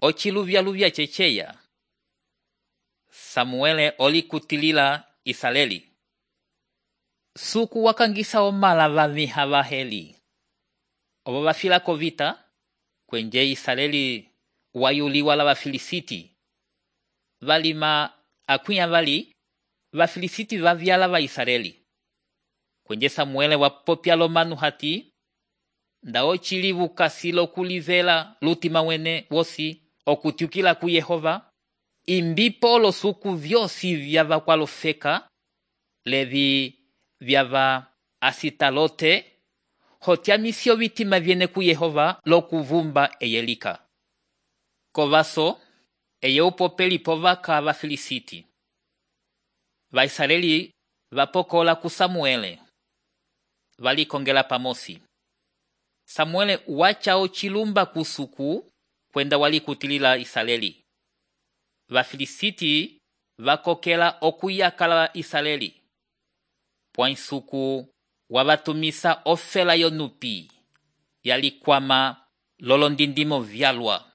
ociluvyaluvya ceceya. Samuele olikutilila Israeli. Suku wakangisa omala vamiha vaheli. Obo bafila kovita, kwenje Israeli wayuliwa la Bafilisiti. Valima akwinya vali, Bafilisiti vavyala va Israeli. Kwenje Samuele wapopya lomanu hati, nda ochilivu kasilo kulivela lutima wene wosi okutiukila ku Yehova, imbipo lo suku vyosi vyava kwalofeka, levi vyava Asitalote, hotiamisio vitima viene ku Yehova lokuvumba eyelika. Kovaso, eye upopeli povaka Bafilisiti. Vaisraeli vapokola ku Samuele. Valikongela pamosi. Samuele wacha ochilumba kusuku kwenda walikutilila Israeli. Vafilisiti vakokela okuyakala Israeli. Pwainsuku wabatumisa ofela yonupi. Yalikwama lolondindimo vyalwa.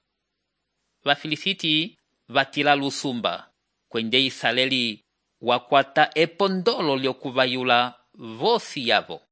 Vafilisiti vatila lusumba. Kwende Israeli wakwata epondolo lyokuvayula vosi yavo.